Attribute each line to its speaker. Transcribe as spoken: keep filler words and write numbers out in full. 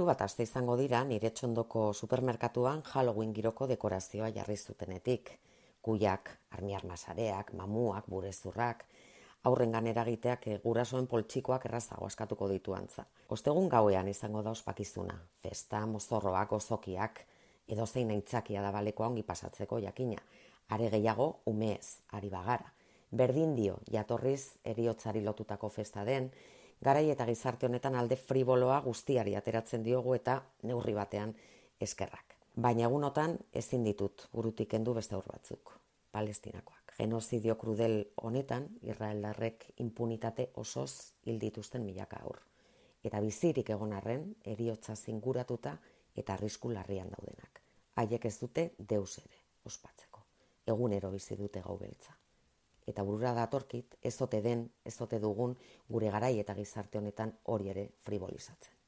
Speaker 1: Hiru bat aste izango dira nire txondoko supermerkatuan Halloween giroko dekorazioa jarri zutenetik. Kuiak, armiarma sareak, mamuak, burezurrak, aurrengan eragiteak gurasoen poltsikoak errazago askatuko ditu antza. Ostegun gauean izango da ospakizuna, festa, mozorroak, gozokiak, edozein aitzakia da balekoa ongi pasatzeko jakina. Are gehiago, umeez, ari bagara. Berdin dio, jatorriz heriotzari lotutako festa den, garai eta gizarte honetan alde friboloa guztiari ateratzen diogu eta neurri batean eskerrak. Baina egunotan ezin ditut burutik kendu beste aur batzuk, Palestinakoak. Genozidio krudel honetan Israeldarrek impunitate osoz hil dituzten milaka aur. Eta bizirik egon arren, heriotza zinguratuta eta arrisku larrian daudenak. Haiek ez dute deus ere ospatzeko. Egunero bizi dute gau beltza. Eta burura datorkit, ez ote den, ez ote dugun gure garai eta gizarte honetan hori ere fribolizatzen.